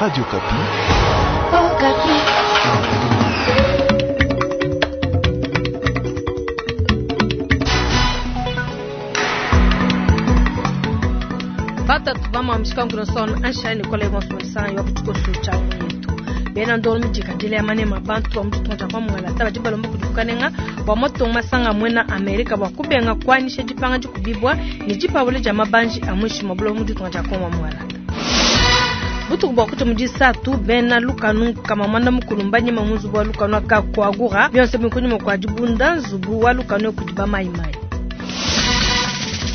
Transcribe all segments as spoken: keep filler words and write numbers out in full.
Radio Okapi. Okapi. Batatu bamamishika anshani Nicolas Ibonso yo kuchikoso cha yetu bena ndolo mijikadile ya manema bantu ba mutu tonja kwa mwala taba jibalomba kudifukanenga bwa moto masanga mwena Amerika bwa kubenga kwanisha dipanga dikubibwa ni jipawule ja mabanji amwishi mabulo mutu tonja kwa mwala butuku bwa kuta mudisatu bena lukanu kama mwanda mukulu mbanyema munzubu wa lukanu akakwagura byonse bikunyuma kwa dibunda nzubu wa lukanu kudiba maimai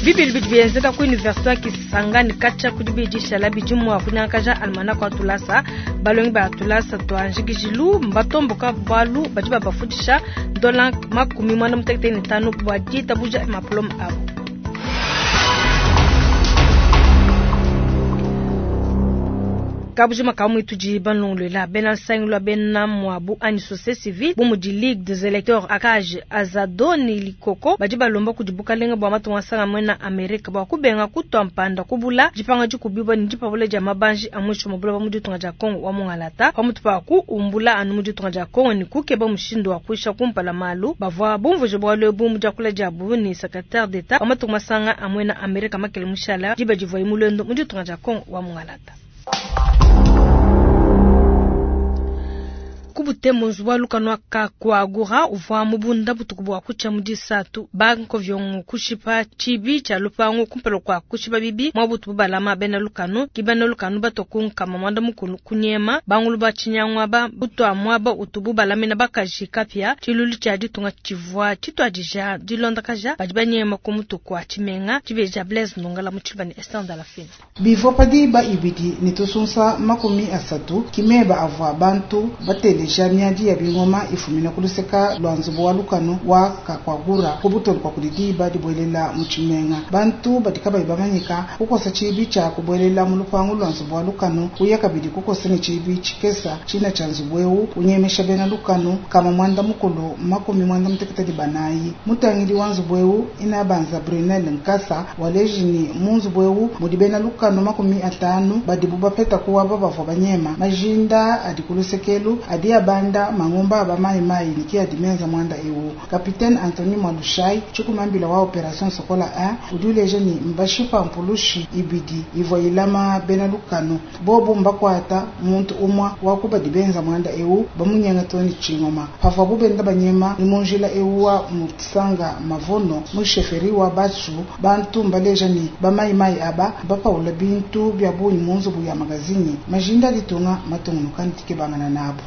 bibili bidi bienzeka ku université ya Kisangani kacha kudi bidishala bidi mua kunyangakaja almanaka wa tulasa balongi ba tulasa twanjikijilu mbatomboka balu badi babafundisha dola makumi mwana mutekete ne tano bua ditabuja mapuloma abo. Kabujima kamwe tudi banlonglela bena nsangilu bena mwabu ani société civile bu mudi ligue des électeurs akage azado ni likoko badi balomba kudi bukalenga bua matunga asanga mwena amerika bua kubenga kutwa mpanda kubula dipanga dikubibwa ni dipabula dia mabanji a mwisho mabula ba mu ditunga dia kongo wa mungalata pamutu pa kuumbula anu mu ditunga dia kongo ni kukeba mushindu wa kuisha kumpala malu bavua bumvuje bualu ebu mu diakula diabu ni secrétaire d'état wa matunga masanga a mwena amerika makele mushala diba divuayi mulendo mu ditunga dia kongo wa mungalata. Kubutemo nzubu lukanu akakwagura uvua mubunda butuku bua kucha mudisatu banko vyongo kushipa chibi cha lupango kumpelo kwa kushipa bibi mwa butu balama bena lukanu kibena lukanu batokunka mwanda mukulu kunyema bangulu ba chinyangwa ba butu amwaba utubu balamina bakaji kapya chilulu cha ditunga chivua chitwadija dilondakaja badi banyema ku mutu kwa chimenga chibeja Blaise Ndongala mu chibani Esther la Fina bivua padiba ibidi ne tusunsa makumi asatu kimeba avua bantu bateleja miadi ya bingoma ifumina kuluseka lwa nzubu wa lukanu wa kakwagura kubutolu kwa kudidiba dibwelela mu tshimenga bantu badi kabayi bamanyika kukosa tshibi tshia kubwelela mu lupangu lwa nzubu wa lukanu kuya kabidi kukosa ne tshibi tshikesa tshina tshia nzubu ewu kunyemesha bena lukanu kama mwanda mukulu makumi mwanda mutekete banayi mutangili wa nzubu ewu inabanza Brunel Nkasa waleji ni mu nzubu ewu mudi bena lukanu makumi atanu badibu bapeta kuwaba bavua banyema majinda adi kulusekelu adi abanda mangomba aba mayimayi niki adi menza mwanda ewu kapitene Anthony Mwalushai tshikumambila wa operation Sokola un udi uleja ni mbashipa mpulushi ibidi ivua ilama bena lukanu bobu mbakwata muntu umwa wakubadi benza mwanda ewu bamunyenga toni tshingoma pavua bubenda banyema ni munjila ewu wa musanga mavono musheferi wa batsu bantu mbaleja ni bamayimayi aba bapaula bintu bya bunyi mu nzubu ya magazini majinda ditunga matungunuka ntikebangana nabo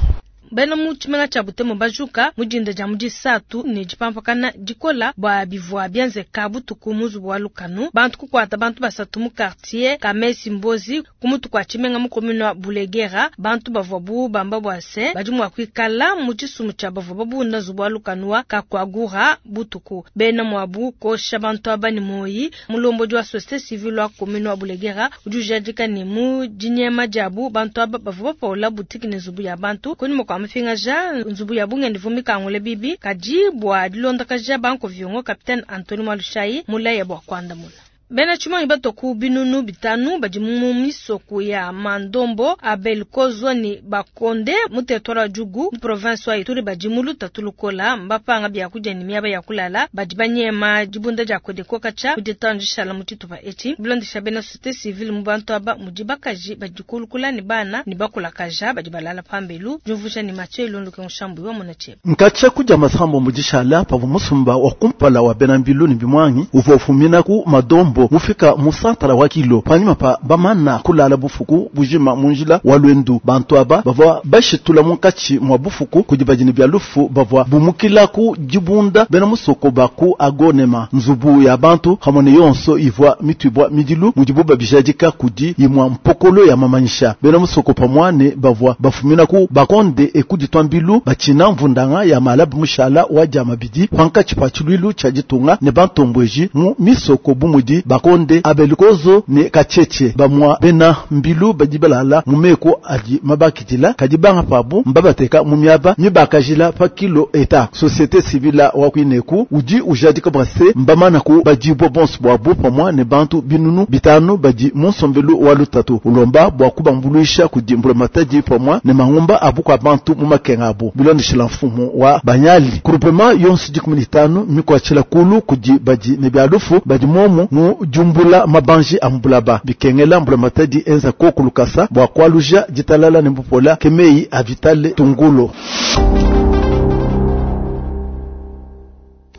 bena mu tshimenga tshia Butembo bajuka mudinda dia mudisatu ne dipampakana dikola bua bivua bienzeka butuku mu nzubu wa lukanu bantu kukuata bantu basatu mu quartier Kamesi Mbozi ku mutu kua tshimenga mu commune wa Bulegera bantu bavua bu bamba bua se badi mua kuikala mu tshisumu tshia bavua babunda nzubu wa lukanu wa kakwagura butuku bena muabu kosha bantu aba ne moyi mulombodi wa société civile wa commune wa Bulegera udi ujadika ne mu dinyema diabu bantu aba bavua bapaula butiki ne nzubu ya bantu kunyuma kua mafingaja nzubu ya bungendi vumikangule bibi kadi bua dilondakaja banko vyongo capitaine Anthony Mwalushai mulaya bua kuandamuna bena tshimanyi batoku binunu bitanu badi mu misoku ya Mandombo Abel Kozwa ni Bakonde mu territoire wa Djugu mu province wa Ituri badi mu lutatu lukola mbapanga bya kudia ni miaba ya kulala badi banyema dibunda dia Kodeko kacha kuditandishala mu tshitupa etshi bilondesha bena société civile mu bantu aba mudi bakaji badi kulukula ni bana ni bakulakaja badi balala pambelu jumvusha ni Mathieu Ilondoke mushambu wa mona tshieba nkacha kudia masambo mudishala pavua musumba wa kumpala wa bena mbilu ni bimwangi uvua ufumina ku madombo mufika musantala wa kilo panyima pa bamana kulala bufuku bujima munjila wa lwendu bantu aba bavua bashitula munkatshi mwa bufuku kudi badini bya lufu bavua bumukila ku dibunda bena musoko baku agonema nzubu ya bantu hamone yonso ivua mitwibwa midilu mudibu babijadika kudi imwa mpokolo ya mamanyisha bena musoko pamwane bavua bafumina ku bakonde ekuditwa mbilu bachina mvundanga ya malabu mushala wa dia mabidi pankatshi pa tshilwilu tshia ditunga ne bantombweji mu misoko bumudi Bakonde, Abelikozo ne Kacheche. Bamwa bena mbilu badi balala mu meko adi mabakidila kadi banga pabu mbabateka mu miaba mibakajila pa kilo eta. Société civile wa kwineku udi ujadika bwa se mbamana ku badibwa bonso bwabu pamwa ne bantu binunu bitanu badi mu nsombelu wa lutatu ulomba bwa kubambuluisha kudi mbulamatadi pamwa ne mangumba abu kwa bantu mu makenga abu bilondeshela mfumu wa banyali groupement yonso dikumi ne tanu mikwatshila kulu kudi badi ne bya lufu badi momu mu jumbula mabanji a mbulaba bikengela mbulamatadi enza koku lukasa bwa kwaluja ditalala ne mbupola kemei avitale tungulo.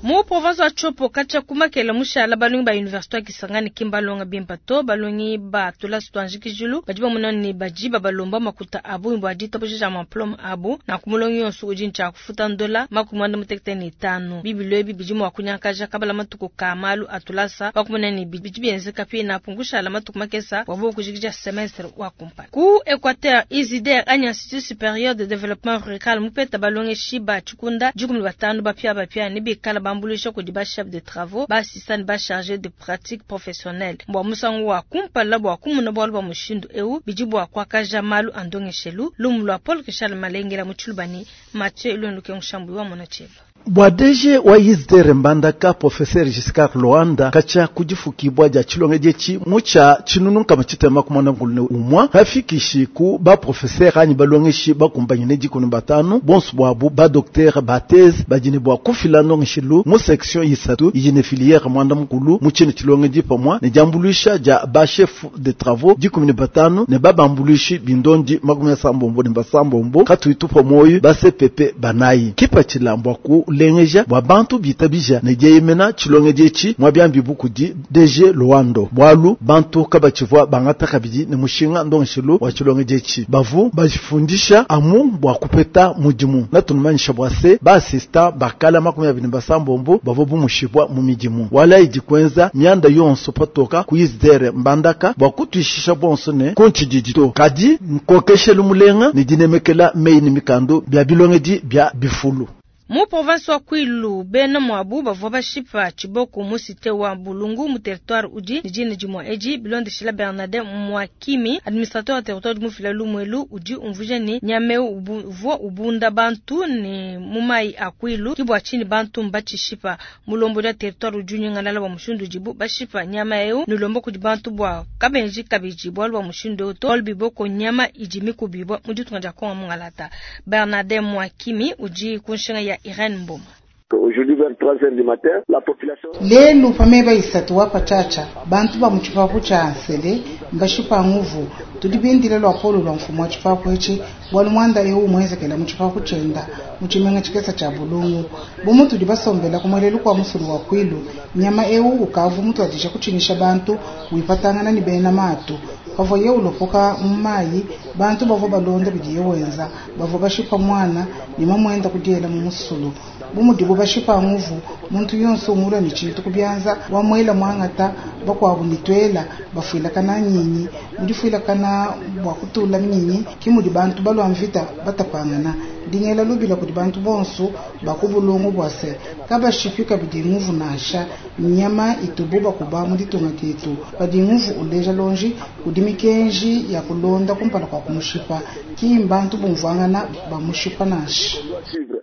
Mu province wa Tshopo kacha kumakela mushala balongi ba université ya Kisangani kimbalonga bimpa to balongi ba tula sitwanjikijulu badi bamona ne baji babalomba makuta abu bwa ditabuja maplom abu na kumulongi yonso udi ncha kufuta ndola makumanda mutekete ne tano bibilwe ebi bidi mwa kunyakaja kabala matuku ka malu atulasa bakumona ne bidi bienzeka pe na pungushala matuku makesa wabo kujikija semestre wa kumpala ku Equateur Isider anya Institut Supérieur de Développement Rural mupeta balongi shiba chikunda dikumi batano bapia bapia ne bikala bambulisha kudi ba chef de travaux ba assistant ba chargé de pratique professionnelle bwa musangu wa kumpala bwa kumuna bwalu bwa mushindu eu bidi bwa kwakaja malu andongeshelu lumu lwa Paul Richard Malengela muchulubani Mathieu Ilonduke Nshambu wa monacheba. Bwa D G wa Isider Mbandaka Professeur Giscard Loanda kacha kujifukibwa ja chilonge jechi mucha chinunu kama chitema kumona ngulune umwa hafikishi ku ba professeur anyi balongeshi bakumbanyine jikunu batanu bonso bwabu ba docteur ba thèse bajine bwa kufila ndongeshilu mu section yisatu yine filière mwanda mukulu mu chine chilonge jipa mwa ne jambuluisha ja ba chef de travaux jikumine batanu ne babambuluishi bindondi makumi asambombo ne basambombo katuitupa moyo ba C P P banayi kipa chilambwa ku lengeja bwa bantu bitabija ne jeyemena chilonge jechi mwabyambi bukudi D G Luando bwalu bantu kabachivwa bangata kabidi ne mushinga ndongeshilu wa chilonge jechi bavu bajifundisha amu bwa kupeta mudimu natunumanyisha bwa se ba assistant bakala makumi abiri basambombo bavo bumushibwa mu midimu wala idikwenza myanda yonso patoka ku Isider Mbandaka bwa kutwishisha bonso ne kunchididito kadi nkokeshelu mulenga ne dinemekela meyi ne mikando bya bilongedi bya bifulu. Mu province wa Kwilu bena mwabu bavua bashipa chiboko mu cité wa Bulungu mu territoire udi nijini jimwa eji bilondeshila Bernardin Mwakimi administrateur wa territoire mufila lumwelu udi umvuja ni nyame uvua ubunda bantu ne mumai a Kwilu kibwa chini bantu mbachishipa mulombo ya territoire udi nyingalala wa mushindu jibu bashipa nyama eu nulombo kudi bantu bwa kabenji kabiji bwa wa mushindu to olbiboko nyama iji mikubibwa muditunga ja konga mungalata Bernardin Mwakimi udi kunshinga ya Irene Mboma. Aujourd'hui vers trois heures du matin, la population Lelu pameba isatu wa pachacha bantu ba muchipapu cha ansele mbashipa nguvu tudibindile lwa polo lwa mfumo wa chipapu echi bwalu mwanda eu mwezekela muchipapu chenda muchimenga chikesa cha bulungu bomu tudi basombela kumwelelu kwa musulu wa Kwilu nyama eu ukavu mutu adisha kuchinisha bantu wipatangana ni bena matu pavo ye ulopoka mmayi bantu bavo balonda bidiye wenza bavo bashipa mwana ni mamwenda kudiela mu musulu bumudibu bashipa nguvu muntu yonso umula ni chintu kubyanza wamwela mwangata bakwabu nitwela bafuila kana nyinyi mudifuila kana bwa kutula nyinyi kimudi bantu balwa mvita batapangana dingela lubila kudi bantu bonso bakubulungu bwase kabashipika bidi nguvu nasha nyama itubu bakuba muditunga ketu badi nguvu uleja lonji kudi mikenji ya kulonda kumpala kwa kumushipa kimbantu bumvangana bamushipa nasha.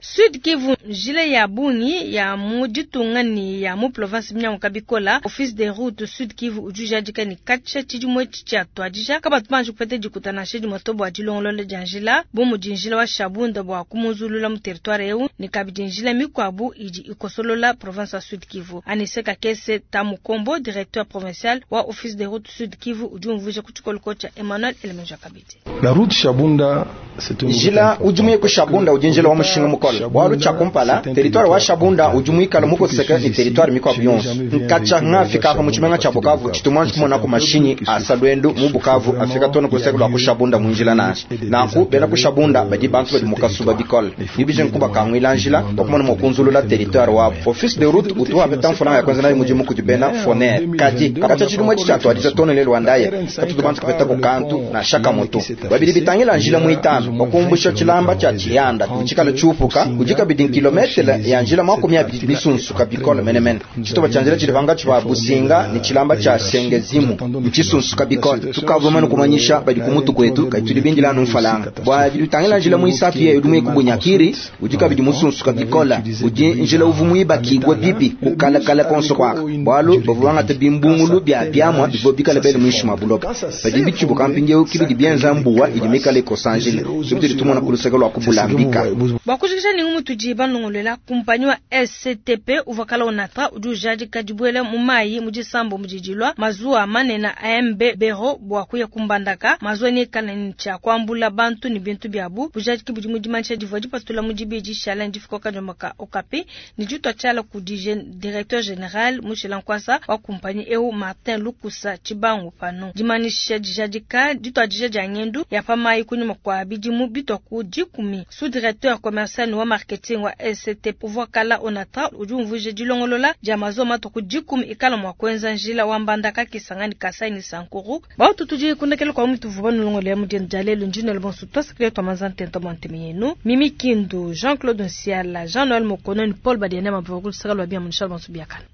Sud Kivu njile ya bungi ya muditunga ni ya mu province mnyango kabikola office des routes Sud Kivu ujujadika ni kacha chijimwe cha twadija kabatu kupete dikutana shedi motobo adilongolole janjila bomu jinjila wa shabunda bwa kumuzulula mu territoire eu ni kabidi njila mikwabu idi ikosolola province ya Sud Kivu. Aniseka Kese Tamukombo directeur provincial wa office des routes Sud Kivu ujumvuje kuchikoloko cha Emmanuel Elemenja kabidi. La route Shabunda c'est un njila ujumuye ku Shabunda ujinjila wa mushinga mukolo bwalu cha kumpala territoire wa Shabunda ujumuika muko seka ni territoire mikwabu yonso nkacha ngafika pa muchimenga cha Bukavu chitumwa chikumona ku mashinyi asalwendo mu Bukavu afika tona kuseka lwa ku Shabunda munjila nasha nanku bena ku Shabunda badi bantu badi mukasuba bikole nibije nkuba kangwila njila bakumona mokunzulula territoire wabo office de route utuwa peta mfuna ya kwanza nayo mujimu kujibena foner kadi kacha chidumwe chichatu adiza tona le Rwandaye katutu bantu kapeta ku kantu na shaka moto babili bitangila njila muitano bakumbusha chilamba cha chiyanda kuchikala chupuka kujika bidin kilometre ya njila makumi abiri misunzu ntshisunsuka bikola menemene. Tshitupa tshia njila tshidi pankatshi pa Businga ne tshilamba tshia Sengezimu ntshisunsuka bikola. Tukavua bamane kumanyisha badi ku mutu kuetu, kadi tudi bindila anu mfalanga. Bua bidi bitangila njila muisatu yeyi udi muye ku Bunyakiri udi kabidi musunsuka bikola, udi njila uvua muibakibue bibi kukalakala konso kuaka, bualu bavua bangata bimbungulu bia biamua bivua bikala bele muinshi mua buloba. Padi bitshibuka mpindieu ke bidi bienza mbuwa idi mikale ikosa njila, ke bitudi tumona ku luseke lua ku Bulambika. Bua kujikija ne ngumu tudi banongoluela, kumpanyi wa S C T P uvua kala Onatra udi ujadika dibuela mu mayi mu disambo didi dilua mazuwa manene a M B Bero bua kuya ku Mbandaka. Mazuwa neikale ne tshia kuambula bantu ne bintu biabu. Bujadiki budi mu dimanyisha divua dipatula mu dibidi dishala ne difika kadiomba ka Okapi ne ditua tshiala kudi directeur général mushila nkuasa wa kumpanyi eu Martin Lukusa Tshibangu. Pano dimanyisha dijadika dituadija dia ngendu ya pa mayi kunyima kua bidimu bitua ku dikumi. Sous directeur commercial wa marketing wa S C T uvua kala Onatra udi umvuija dilongolola dia mazuwa matua ku dikumi ikala mua kuenza njila wa Mbandaka, Kisangani, Kasai ne Sankuru. Bautu tudi kundekela kwa mutu vuba nulongolola mu dienu dia lelu ndinelo bonso twasakile twamanza ntento bua ntemi yenu Mimi Kindu, Jean-Claude Nsiala, Jean-Noël Mokono ni Paul Badiene mabva kulusaka lwa bia munisha bonso biakana.